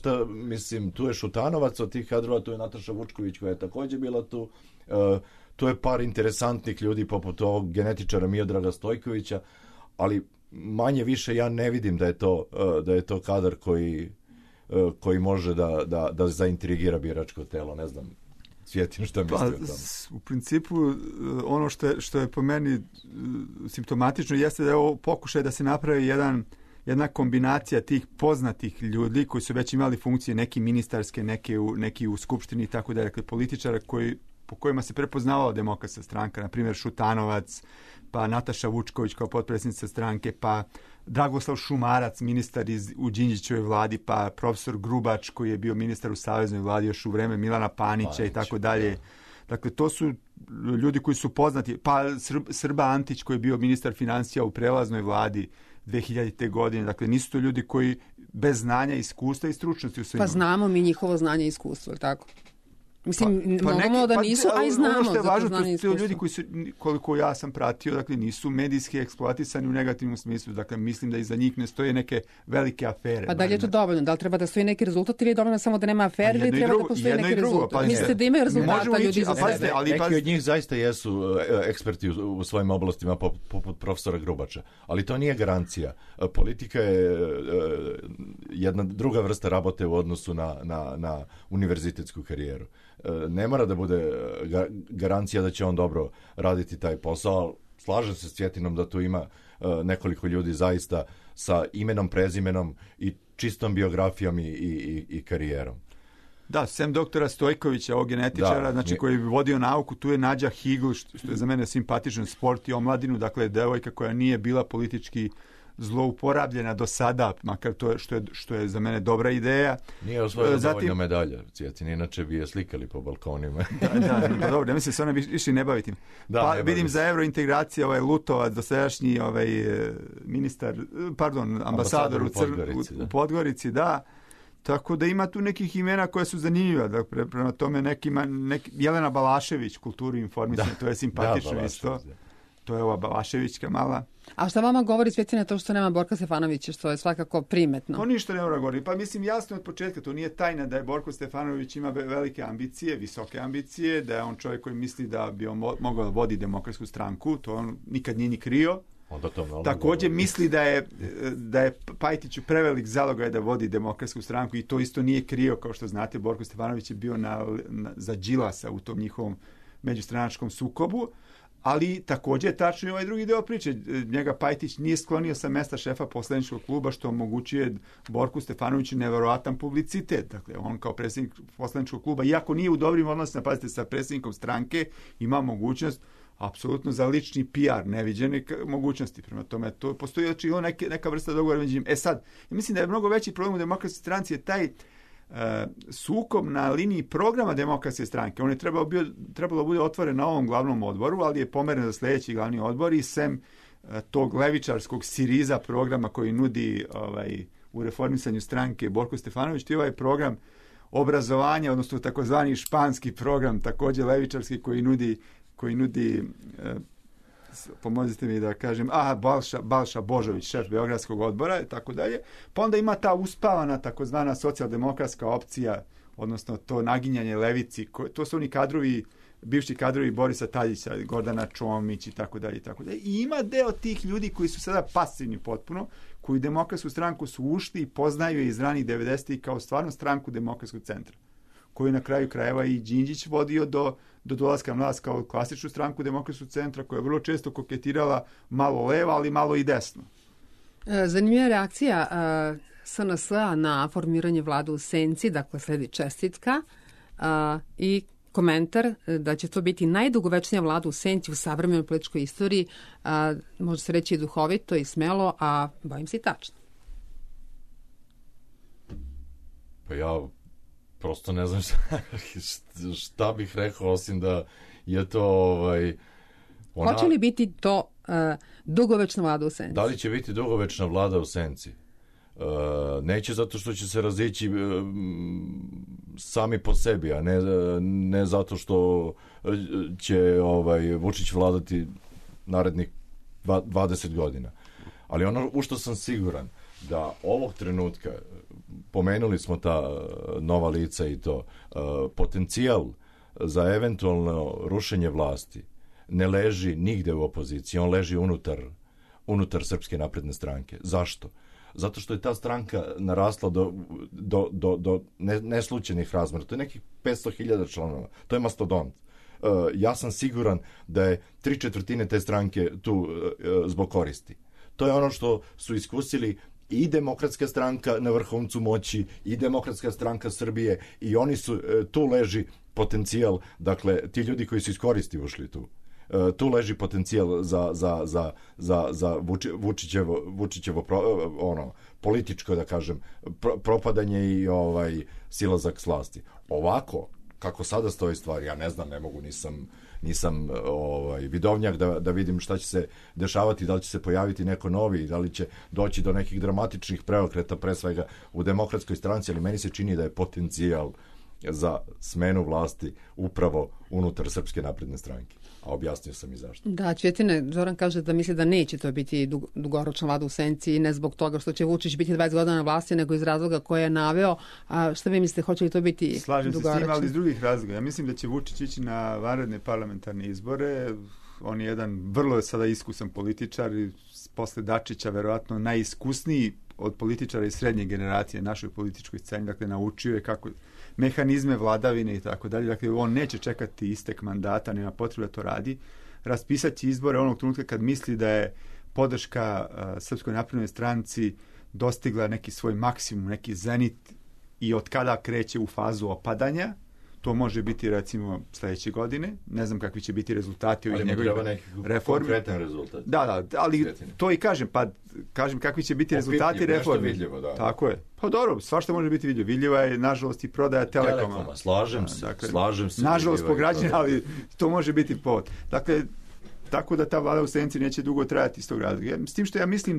D: tu je Šutanovac od tih kadrova, tu je Nataša Vučković koja je također bila tu, tu je par interesantnih ljudi poput ovog genetičara Miodraga Stojkovića, ali manje više ja ne vidim da je to kadar koji može da zaintrigira biračko telo, ne znam. Cvjetin, šta misli o tome?
E: U principu, ono što je po meni simptomatično jeste da je ovo pokušaj da se napravi jedna kombinacija tih poznatih ljudi koji su već imali funkcije, neki ministarske, neki u skupštini i tako da, dakle, političara po kojima se prepoznavala Demokratska stranka, na primjer Šutanovac, pa Nataša Vučković kao potpredsjednica stranke, pa Dragoslav Šumarac, ministar u Đinđićevoj vladi, pa profesor Grubač koji je bio ministar u saveznoj vladi još u vreme Milana Panića i tako dalje. Dakle, to su ljudi koji su poznati, pa Srba Antić koji je bio ministar financija u prelaznoj vladi 2000. godine. Dakle, nisu to ljudi koji bez znanja, iskustva i stručnosti u svima.
C: Pa znamo mi njihovo znanje i iskustvo, tako? Mislim, normalno da nisu, a i znamo.
E: Ono što je važno,
C: to
E: su ljudi koji su, koliko ja sam pratio, dakle, nisu medijski eksploatisani u negativnom smislu. Dakle, mislim da iza njih ne stoje neke velike afere.
C: Pa da li je to dovoljno? Da li treba da stoji neki rezultat ili je dovoljno samo da nema afere ili treba da postoji neki rezultat? Mislite da imaju rezultata ljudi iza sebe?
D: Neki od njih zaista jesu eksperti u svojim oblastima, poput profesora Grubača. Ali to nije garancija. Politika je jedna druga vrsta rabote u odnosu na univerzitetsku karijeru. Ne mora da bude garancija da će on dobro raditi taj posao. Slažem se s Cvjetinom da tu ima nekoliko ljudi zaista sa imenom, prezimenom i čistom biografijom i karijerom.
E: Da, sem doktora Stojkovića, ovog genetičara, znači koji bi vodio nauku, tu je Nađa Higl, što je za mene simpatičan, sport i omladinu, dakle devojka koja nije bila politički zlouporabljena do sada, makar to što je za mene dobra ideja.
D: Nije osvojila dovoljno medalja, Cvjetin, inače bi je slikali po balkonima.
E: Da, dobro, ne mislim se ona više ne baviti. Vidim za evrointegracije Lutovac, dosadašnji ministar, ambasador u Podgorici, da. Tako da ima tu nekih imena koja su zanimljiva. Dakle, prema tome Jelena Balašević, kulturu i informisanje, to je simpatično isto. To je ova Balaševićka mala.
C: A šta vama govori, Cvjetina, to što nema Borka Stefanovića, što je svakako primetno?
E: To ništa ne mora govoriti. Pa mislim, jasno od početka, to nije tajna da je Borko Stefanović ima velike ambicije, visoke ambicije, da je on čovjek koji misli da bi on mogao da vodi Demokratsku stranku, to on nikad nije ni krio. Također misli da je Pajtiću prevelik zalogaj da vodi Demokratsku stranku i to isto nije krio, kao što znate, Borko Stefanović je bio za Đilasa u tom njihovom međustranačkom sukobu. Ali također je tačno i ovaj drugi deo priče. Njega Pajtić nije sklonio sa mesta šefa poslaničkog kluba, što omogućuje Borku Stefanoviću neverovatan publicitet. Dakle, on kao predsjednik poslaničkog kluba, iako nije u dobrim odnosima, pazite, sa predsjednikom stranke, ima mogućnost apsolutno za lični PR, neviđene mogućnosti. Prema tome, to postoji očigledno neka vrsta dogovora među njim. Sad, ja mislim da je mnogo veći problem u Demokratskoj stranci je taj sukob na liniji programa Demokratske stranke. On je trebalo bude otvoren na ovom glavnom odboru, ali je pomeren za sljedeći glavni odbor i sem tog levičarskog Siriza programa koji nudi u reformisanju stranke Borko Stefanović, to je ovaj program obrazovanja, odnosno takozvani španski program, također levičarski koji nudi pomozite mi da kažem, Balša Božović, šef Beogradskog odbora i tako dalje. Pa onda ima ta uspavana takozvana socijaldemokratska opcija, odnosno to naginjanje levici, to su oni kadrovi, bivši kadrovi Borisa Tadića, Gordana Čomić i tako dalje i tako dalje. I ima deo tih ljudi koji su sada pasivni potpuno, koji Demokratsku stranku su ušli i poznaju je iz ranih 90-ih kao stvarno stranku Demokratskog centra, koju na kraju krajeva i Đinđić vodio do dolaska na vlast kao klasičnu stranku Demokratskog centra, koja je vrlo često koketirala malo leva, ali malo i desno.
C: Zanimljiva reakcija SNS-a na formiranje vlade u Senci, dakle sledi čestitka i komentar da će to biti najdugovečnija vlada u Senci u savremenoj političkoj istoriji, može se reći i duhovito i smelo, a bojim se i tačno.
D: Pa ja prosto ne znam šta bih rekao, osim da je to
C: Hoće li biti to dugovečna vlada u senci?
D: Da li će biti dugovečna vlada u senci? Neće, zato što će se razići sami po sebi, a ne zato što će Vučić vladati narednih 20 godina. Ali ono u što sam siguran, da ovog trenutka, pomenuli smo ta nova lica i to, potencijal za eventualno rušenje vlasti ne leži nigde u opoziciji, on leži unutar Srpske napredne stranke. Zašto? Zato što je ta stranka narasla do neslučajnih razmera. To je nekih 500.000 članova. To je mastodont. Ja sam siguran da je 3/4 te stranke tu zbog koristi. To je ono što su iskusili i Demokratska stranka na vrhuncu moći, i Demokratska stranka Srbije, i oni su, tu leži potencijal, dakle, ti ljudi koji su iz koristi ušli tu. Tu leži potencijal za Vučićevo političko, da kažem, propadanje i silazak s vlasti. Ovako, kako sada stoji stvari, ja ne znam, ne mogu, nisam vidovnjak da vidim šta će se dešavati, da li će se pojaviti neko novi, da li će doći do nekih dramatičnih preokreta, pre svega u Demokratskoj stranci, ali meni se čini da je potencijal za smenu vlasti upravo unutar Srpske napredne stranke. A objasnio sam i zašto.
C: Da, Cvjetine, Zoran kaže da misli da neće to biti dugoročna vlada u senci, ne zbog toga što će Vučić biti 20 godina na vlasti, nego iz razloga koje je naveo. A šta vi mislite, hoće li to biti dugoročno?
E: Slažem se s tim, ali iz drugih razloga. Ja mislim da će Vučić ići na vanredne parlamentarne izbore. On je jedan vrlo sada iskusan političar i posle Dačića verovatno najiskusniji od političara iz srednje generacije našoj političkoj sceni. Dakle, naučio je kako mehanizme vladavine i tako dalje. Dakle, on neće čekati istek mandata, nema potrebe da to radi. Raspisat će izbore onog trenutka kad misli da je podrška Srpskoj naprednoj stranci dostigla neki svoj maksimum, neki zenit i od kada kreće u fazu opadanja. To može biti, recimo, sledeće godine. Ne znam kakvi će biti rezultati ovih njegovih reformi.
D: Konkretan rezultat.
E: Da, ali to i kažem, pa kažem kakvi će biti rezultati reformi.
D: Vidljivo, da.
E: Tako je. Pa dobro, svašta može biti vidljivo. Vidljiva je, nažalost, i prodaja Telekoma.
D: Slažem se.
E: Nažalost, po građane, ali to može biti povod. Dakle, tako da ta vlada u senci neće dugo trajati iz tog razloga. S tim što ja mislim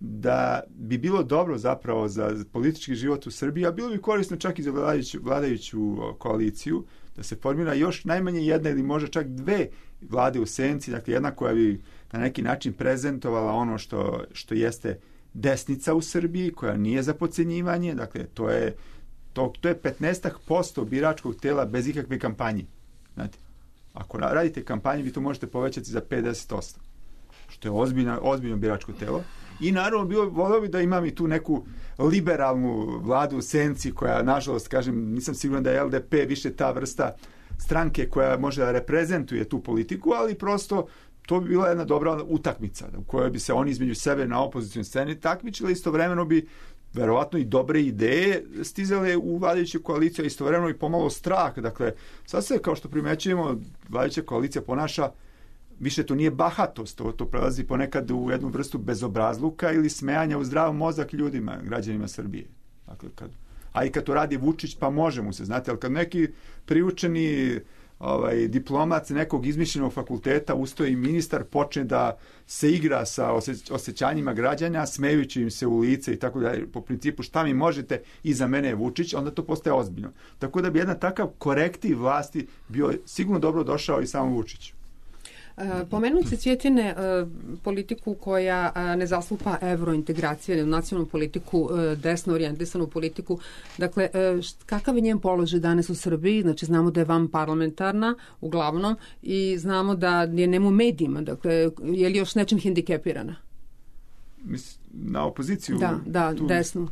E: da bi bilo dobro zapravo za politički život u Srbiji, a bilo bi korisno čak i za vladajuću koaliciju, da se formira još najmanje jedna ili možda čak dve vlade u senci, dakle jedna koja bi na neki način prezentovala ono što jeste desnica u Srbiji, koja nije za podcenjivanje, dakle to je 15% biračkog tela bez ikakve kampanje. Znate, ako radite kampanju, vi to možete povećati za 50%, što je ozbiljno biračko telo. I naravno voleo bi da imam i tu neku liberalnu vladu u senci koja, nažalost, kažem, nisam siguran da je LDP više ta vrsta stranke koja može da reprezentuje tu politiku, ali prosto to bi bila jedna dobra utakmica u kojoj bi se oni između sebe na opozicijnoj sceni takmičili, istovremeno bi verovatno i dobre ideje stizale u vladajuću koaliciju, a istovremeno i pomalo strah. Dakle, sad se, kao što primećujemo, vladajuća koalicija ponaša, više to nije bahatost, to prelazi ponekad u jednu vrstu bezobrazluka ili smejanja u zdrav mozak ljudima, građanima Srbije. Dakle, i kad to radi Vučić, pa može mu se, znate, ali kad neki priučeni diplomat nekog izmišljenog fakulteta, ustoji ministar, počne da se igra sa osjećanjima građana, smejući im se u lice i tako dalje, po principu šta mi možete, iza mene je Vučić, onda to postaje ozbiljno. Tako da bi jedan takav korektiv vlasti bio sigurno dobro došao i samom Vučiću.
C: Pomenuli se, Cvjetine, politiku koja ne zastupa evrointegracije ili nacionalnu politiku, desno orijentisanu politiku. Dakle, kakav je njen položaj danas u Srbiji? Znači, znamo da je vanparlamentarna uglavnom i znamo da je nema u medijima. Dakle, je li još nečim hendikepirana?
E: Na opoziciju?
C: Da, desnu.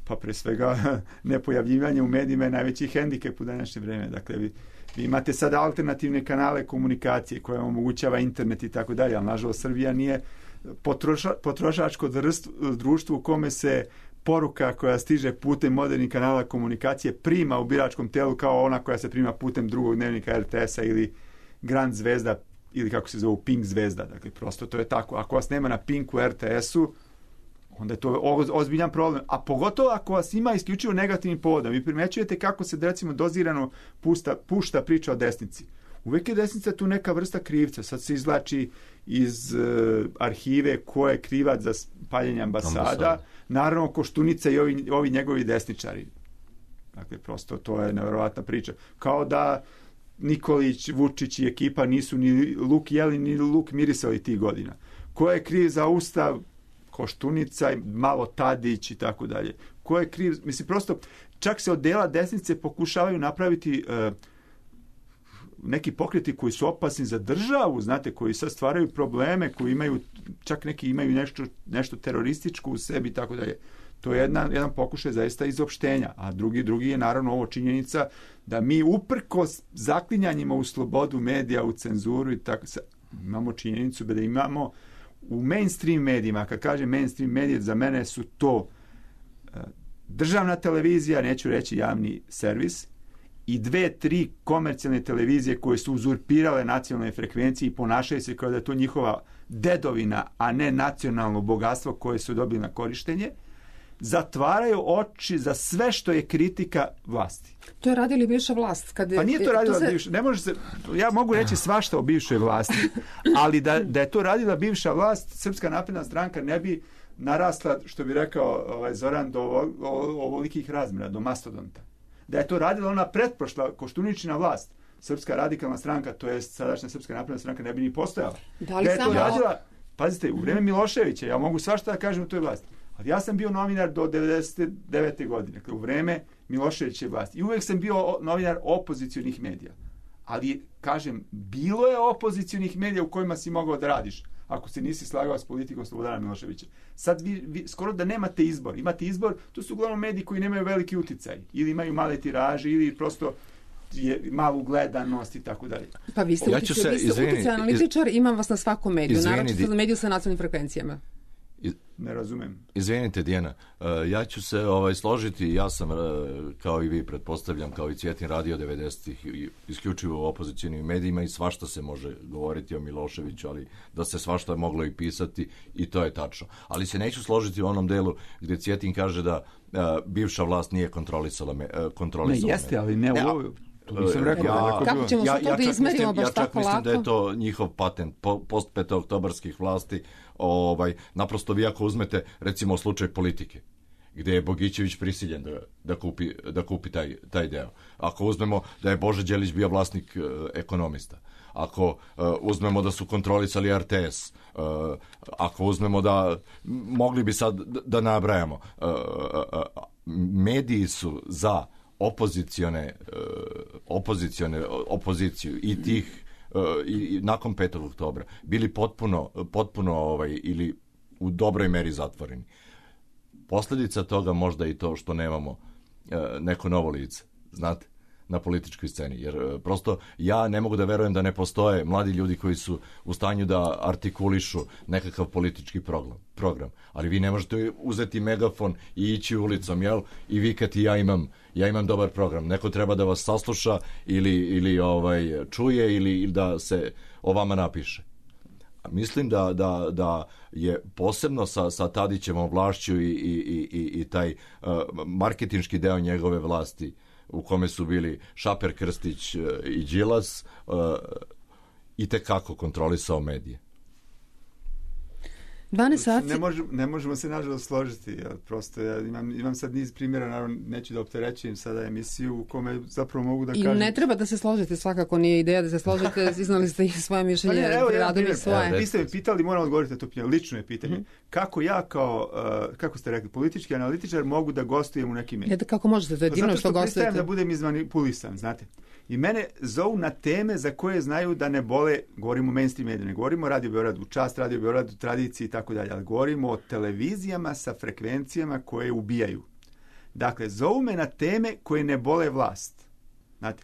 E: Pa pre svega nepojavljivanje u medijima je najveći hendikep u današnje vreme. Dakle, vi imate sada alternativne kanale komunikacije koje omogućava internet i tako dalje, ali nažalost Srbija nije potrošačko društvo u kome se poruka koja stiže putem modernih kanala komunikacije prima u biračkom telu kao ona koja se prima putem drugog dnevnika RTS-a ili Grand Zvezda ili kako se zove Pink Zvezda. Dakle, prosto to je tako. Ako vas nema na Pinku, RTS-u, onda je to ozbiljan problem. A pogotovo ako vas ima isključivo negativni povod. Vi primećujete kako se, recimo, dozirano pušta priča o desnici. Uvijek je desnica tu neka vrsta krivca. Sad se izvlači iz arhive ko je krivac za paljenje ambasada. Naravno, Koštunica i ovi njegovi desničari. Dakle, prosto to je nevjerovatna priča. Kao da Nikolić, Vučić i ekipa nisu ni luk jeli, ni luk mirisali tih godina. Ko je kriv za ustav? Koštunica, malo Tadić i tako dalje. Ko je kriv? Mislim, prosto, čak se od dela desnice pokušavaju napraviti neki pokreti koji su opasni za državu, znate, koji sad stvaraju probleme, koji imaju, čak neki imaju nešto terorističko u sebi i tako dalje. To je jedan pokušaj zaista izopštenja. A drugi je naravno ovo činjenica da mi uprkos zaklinjanjima u slobodu medija, u cenzuru i tako, imamo činjenicu da imamo u mainstream medijima, kad kažem mainstream medije, za mene su to državna televizija, neću reći javni servis, i 2-3 komercijalne televizije koje su uzurpirale nacionalne frekvencije i ponašaju se kao da je to njihova dedovina, a ne nacionalno bogatstvo koje su dobili na korištenje, zatvaraju oči za sve što je kritika vlasti.
C: To je radila bivša vlast.
E: Pa nije to radila bivša. Ne može se, ja mogu reći svašta o bivšoj vlasti, ali da je to radila bivša vlast, Srpska napredna stranka ne bi narasla, što bi rekao Zoran, do ovolikih razmjera, do mastodonta. Da je to radila ona pretprošla Koštuničina vlast, Srpska radikalna stranka, to je sadašnja Srpska napredna stranka, ne bi ni postojala.
C: Da je to
E: radila, pazite, u vreme Miloševića, ja mogu svašta da kažem o toj vlasti. Ali ja sam bio novinar do 99. godine, dakle u vreme Miloševićeve vlasti. I uvijek sam bio novinar opozicionih medija. Ali, kažem, bilo je opozicionih medija u kojima si mogao da radiš, ako se nisi slagao s politikom Slobodana Miloševića. Sad vi skoro da nemate izbor. Imate izbor, to su uglavnom mediji koji nemaju veliki uticaj. Ili imaju male tiraže, ili prosto je malu gledanost i tako dalje.
C: Pa vi ste uticaj analitičar, imam vas na svakom mediju, naravno na mediju sa nacionalnim frekvencijama.
E: Ne razumem.
D: Izvinite, Dijana, ja ću se složiti, ja sam, kao i vi pretpostavljam, kao i Cvjetin radio 90-ih, isključivo u opozicijnim medijima i svašta se može govoriti o Miloševiću, ali da se svašta moglo i pisati i to je tačno. Ali se neću složiti u onom delu gdje Cvjetin kaže da bivša vlast nije kontrolisala
E: Ne, jeste, ali ne u ovoj.
C: Kako ćemo se to da izmerimo baš tako lako?
D: Ja čak mislim da je to njihov patent post petooktobarskih vlasti. Naprosto vi ako uzmete recimo slučaj politike gdje je Bogićević prisiljen da kupi taj deo. Ako uzmemo da je Bože Đelić bio vlasnik ekonomista, ako uzmemo da su kontrolisali RTS, ako uzmemo da mogli bi sad da nabrajamo, mediji su za opoziciju i tih i nakon 5. oktobra bili potpuno ili u dobroj meri zatvoreni. Posljedica toga možda i to što nemamo neko novo lice, znate, na političkoj sceni, jer prosto ja ne mogu da verujem da ne postoje mladi ljudi koji su u stanju da artikulišu nekakav politički program. Ali vi ne možete uzeti megafon i ići ulicom, jel? I vikati ja imam dobar program. Neko treba da vas sasluša ili čuje ili da se o vama napiše. Mislim da je posebno sa Tadićevom vlašću i taj marketinški deo njegove vlasti u kome su bili Šaper, Krstić i Đilas, i tekako kontrolisao medije.
C: 12 sati.
E: Ne možemo se nažalost složiti. Prosto ja imam sad niz primjera, naravno neću da opterećujem sada emisiju u kome zapravo mogu da kažem.
C: I ne treba da se složite, svakako nije ideja da se složite, iznali ste i svoje mišljenje, radili svoje.
E: Vi ste me pitali, moram odgovoriti na to pitanje, lično je pitanje. Kako ja kao, kako ste rekli, politički analitičar mogu da gostujem u nekim medijima?
C: Kako možete, to je divno što gostujete.
E: Zato što da budem izmanipulisan, znate. I mene zovu na teme za koje znaju da ne bole, govorimo o mainstream mediju, ne govorimo o Radio Beogradu, Čast Radio Beogradu, tradiciji i tako dalje, ali govorimo o televizijama sa frekvencijama koje ubijaju. Dakle, zovu me na teme koje ne bole vlast. Znate,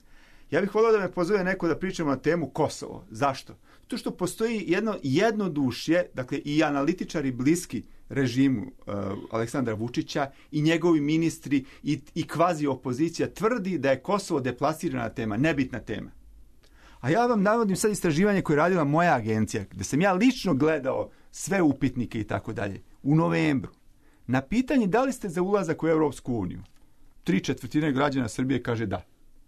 E: ja bih volio da me pozove neko da pričamo na temu Kosovo. Zašto? To što postoji jedno jednodušje, dakle i analitičari bliski režimu Aleksandra Vučića i njegovi ministri i kvazi opozicija tvrdi da je Kosovo deplasirana tema, nebitna tema. A ja vam navodim sad istraživanje koje je radila moja agencija, gdje sam ja lično gledao sve upitnike i tako dalje, u novembru. Na pitanje da li ste za ulazak u Europsku uniju, 3/4 građana Srbije kaže da.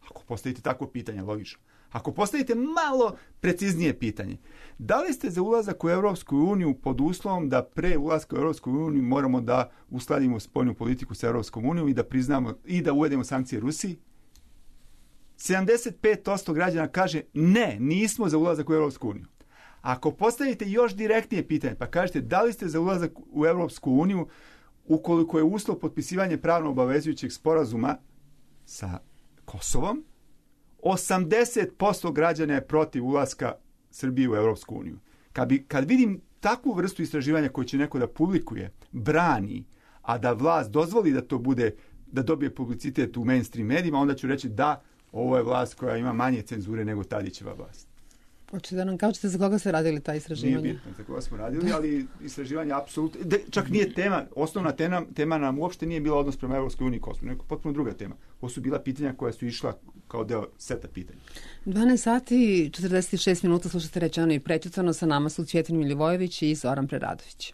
E: Ako postavite takvo pitanje, logično. Ako postavite malo preciznije pitanje, da li ste za ulazak u Europsku uniju pod uslovom da pre ulaska u Europsku uniju moramo da uskladimo spoljnu politiku sa Europskom unijom i da priznamo i da uvedemo sankcije Rusiji? 75% građana kaže ne, nismo za ulazak u Europsku uniju. Ako postavite još direktnije pitanje, pa kažete da li ste za ulazak u Europsku uniju ukoliko je uslov potpisivanje pravno obavezujućeg sporazuma sa Kosovom, 80% građana je protiv ulaska Srbije u Europsku uniju. Kad vidim takvu vrstu istraživanja koju će neko da publikuje, brani, a da vlast dozvoli da to bude, da dobije publicitet u mainstream medijima, onda ću reći da, ovo je vlast koja ima manje cenzure nego Tadićeva vlast.
C: Hoćete da nam kažete za koga ste radili ta istraživanja?
E: Nije bitno za koga smo radili, ali istraživanje apsolutno, čak nije tema, osnovna tema nam uopšte nije bila odnos prema Evropskoj uniji i Kosovu, nego potpuno druga tema. Ovo su bila pitanja koja su išla kao deo seta pitanja.
C: 12 sati 46 minuta slušate Rečeno i prećutano, sa nama su Cvjetin Milivojević i Zoran Preradović.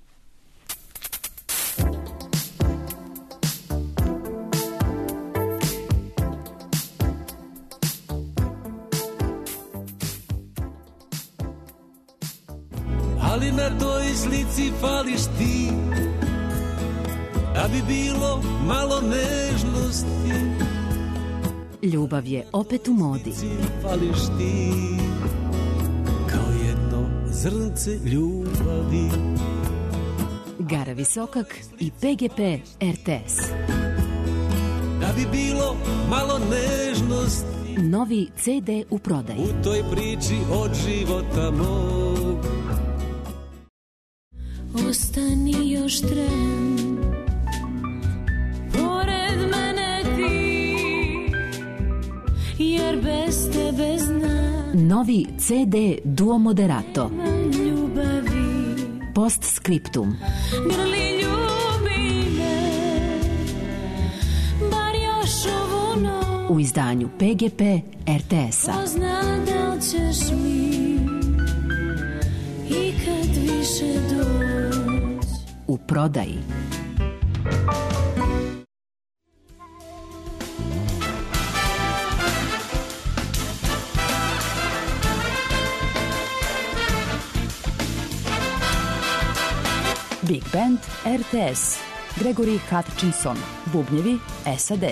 F: Ali na toj slici fališ ti, da bi bilo malo nežnosti.
G: Ljubav je opet u modi.
F: Fališ ti, kao jedno zrnce ljubavi.
G: Gara Visokak i PGP RTS.
F: Da bi bilo malo nežnosti.
G: Novi CD u prodaji.
F: U toj priči od života mog.
H: Ostani još tren, pored mene ti, jer bez tebe znam.
G: Novi CD Duo Moderato.
H: Ljubavi.
G: Postscriptum.
H: Grli ljubi me, bar još ovu noć.
G: U izdanju PGP RTS-a.
H: Pozna da li ćeš mi ikad više doći.
G: U prodaji.
I: Big Band RTS. Gregory Hutchinson. Bubnjevi SAD.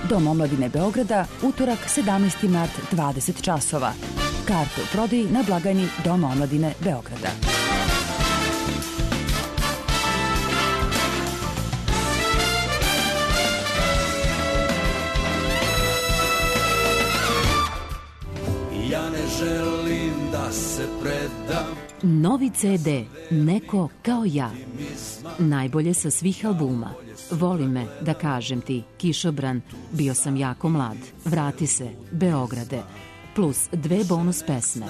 I: Dom omladine Beograda, utorak 17. mart 20 časova. Karte u prodaji na blagajni Doma omladine Beograda.
F: Ja ne želim da se predam.
G: Novi CD Neko kao ja. Najbolje sa svih albuma. Voli me, da kažem ti, Kišobran, bio sam jako mlad, vrati se, Beograde, plus 2 bonus pesme.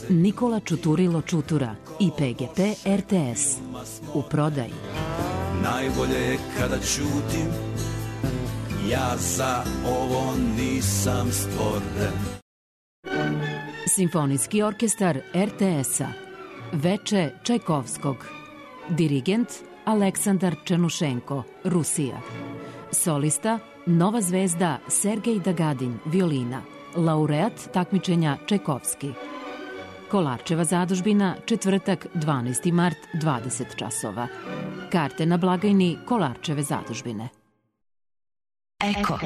G: Nikola Čuturilo Čutura i PGP RTS. U prodaji.
F: Najbolje je kada ćutim, ja za ovo nisam stvoren.
G: Simfonijski orkestar RTS-a. Veče Čajkovskog. Dirigent Aleksandar Černušenko, Rusija. Solista Nova zvezda Sergej Dagadin, violina. Laureat takmičenja Čajkovski. Kolarčeva zadužbina, četvrtak 12. mart 20 časova. Karte na blagajni Kolarčeve zadužbine.
I: Eko.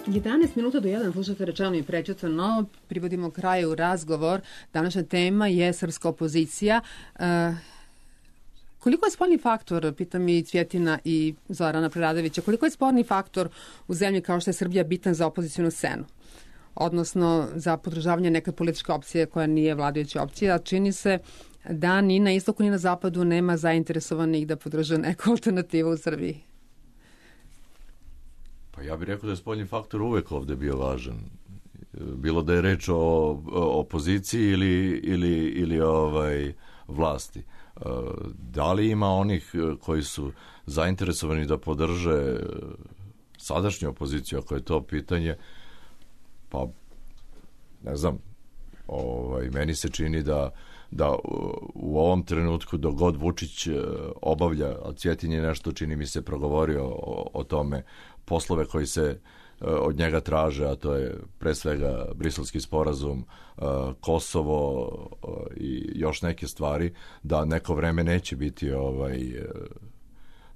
C: 11 minuta do 1 slušate Rečeno i prećutano. Privodimo kraju razgovor. Današnja tema je srpska opozicija. Koliko je sporni faktor, pitam i Cvjetina i Zorana Preradovića, koliko je sporni faktor u zemlji kao što je Srbija bitan za opozicijonu scenu? Odnosno za podržavanje neke političke opcije koja nije vladajuća opcija, a čini se da ni na istoku ni na zapadu nema zainteresovanih da podrža neku alternativu u Srbiji.
D: Pa ja bih rekao da je spoljni faktor uvek ovde bio važan. Bilo da je reč o opoziciji ili vlasti. Da li ima onih koji su zainteresovani da podrže sadašnju opoziciju, ako je to pitanje, pa ne znam, Meni se čini da u ovom trenutku dok god Vučić obavlja, a Cvjetin je nešto, čini mi se, progovorio o tome, poslove koji se od njega traže, a to je pre svega Briselski sporazum, Kosovo i još neke stvari, da neko vreme neće biti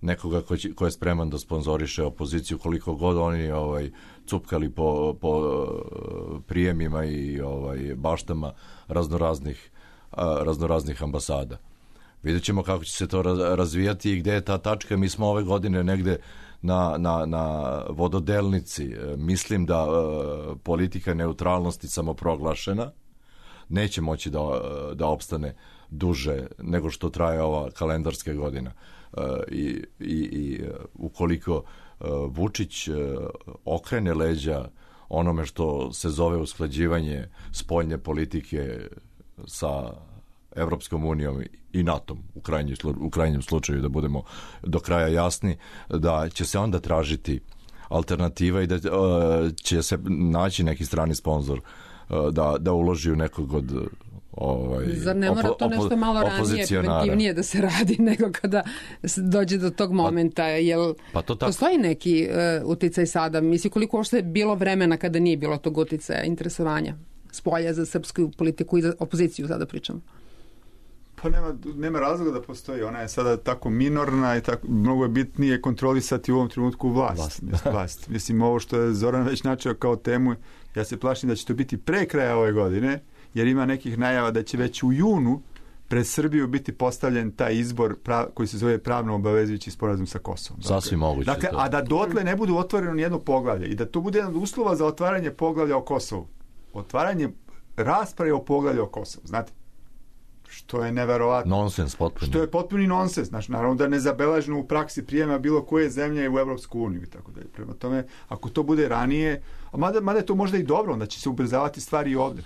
D: nekoga ko je spreman da sponzoriše opoziciju, koliko god oni cupkali po prijemima i baštama raznoraznih ambasada. Vidjet ćemo kako će se to razvijati i gde je ta tačka. Mi smo ove godine negde na vododelnici. Mislim da politika neutralnosti samoproglašena neće moći da opstane duže nego što traje ova kalendarska godina. I ukoliko Vučić okrene leđa onome što se zove usklađivanje spoljne politike sa Evropskom unijom i NATO-om u krajnjem slučaju, da budemo do kraja jasni, da će se onda tražiti alternativa i da će se naći neki strani sponzor da uloži u nekog od
C: zar ne mora to nešto malo ranije, preventivnije da se radi nego kada dođe do tog momenta, jel postoji neki uticaj sada? Mislim, koliko uopšte je bilo vremena kada nije bilo tog uticaja, interesovanja spolja za srpsku politiku i za opoziciju, sada pričam?
E: Pa nema razloga da postoji. Ona je sada tako minorna i tako, mnogo je bitnije kontrolisati u ovom trenutku vlast. Mislim, ovo što je Zoran već načeo kao temu, ja se plašim da će to biti pre kraja ove godine, jer ima nekih najava da će već u junu pred Srbiju biti postavljen taj izbor koji se zove pravno obavezujući sporazum sa Kosovom.
D: Sasvim moguće.
E: Dakle, a da dotle ne budu otvoreno nijedno poglavlje i da to bude jedan od uslova za otvaranje poglavlja o Kosovu. Otvaranje rasprave o poglavlju o Kosovu, znate? Što je neverovatno.
D: Nonsens potpuno.
E: Što je potpuni nonsens. Znači, naravno da nezabeleženo u praksi prijema bilo koje zemlje u Evropsku uniju i tako dalje. Prema tome, ako to bude ranije, mada je to možda i dobro, onda će se ubrzavati stvari i ovde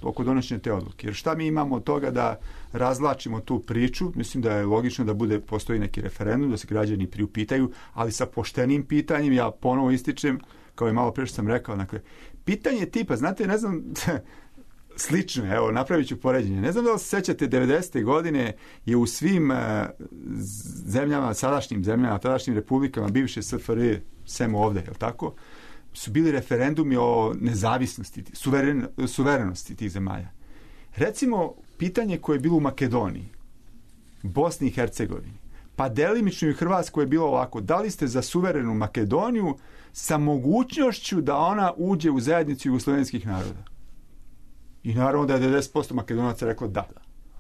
E: oko donošenja te odluke. Jer šta mi imamo od toga da razlačimo tu priču? Mislim da je logično da postoji neki referendum, da se građani priupitaju, ali sa poštenim pitanjem, ja ponovo ističem, kao i malo pre što sam rekao, dakle, pitanje tipa, znate, ne znam, slično je, evo, napravit ću poređenje. Ne znam da li se sećate, 90. godine je u svim zemljama, sadašnjim republikama, bivše SFRJ, sem ovde, je li tako, su bili referendumi o nezavisnosti, suverenosti tih zemalja. Recimo, pitanje koje je bilo u Makedoniji, Bosni i Hercegovini, pa delimično i Hrvatskoj je bilo ovako: da li ste za suverenu Makedoniju sa mogućnošću da ona uđe u zajednicu jugoslovenskih naroda? I naravno da je 90% Makedonaca reklo da.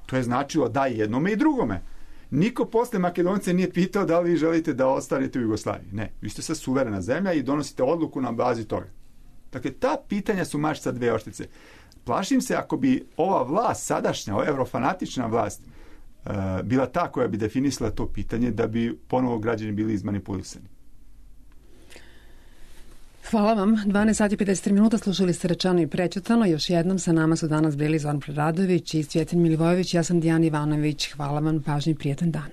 E: To je značilo da jednome i drugome. Niko posle Makedonce nije pitao da li vi želite da ostanete u Jugoslaviji. Ne, vi ste sad suverena zemlja i donosite odluku na bazi toga. Dakle, ta pitanja su mač sa dve oštice. Plašim se ako bi ova vlast, sadašnja, eurofanatična vlast, bila ta koja bi definisala to pitanje, da bi ponovo građani bili izmanipulisani.
C: Hvala vam. 12 sati 53 minuta, slušali ste Rečeno i prećutano. Još jednom sa nama su danas bili Zoran Preradović i Cvjetin Milivojević. Ja sam Dijana Ivanović. Hvala vam, pažnji, prijetan dan.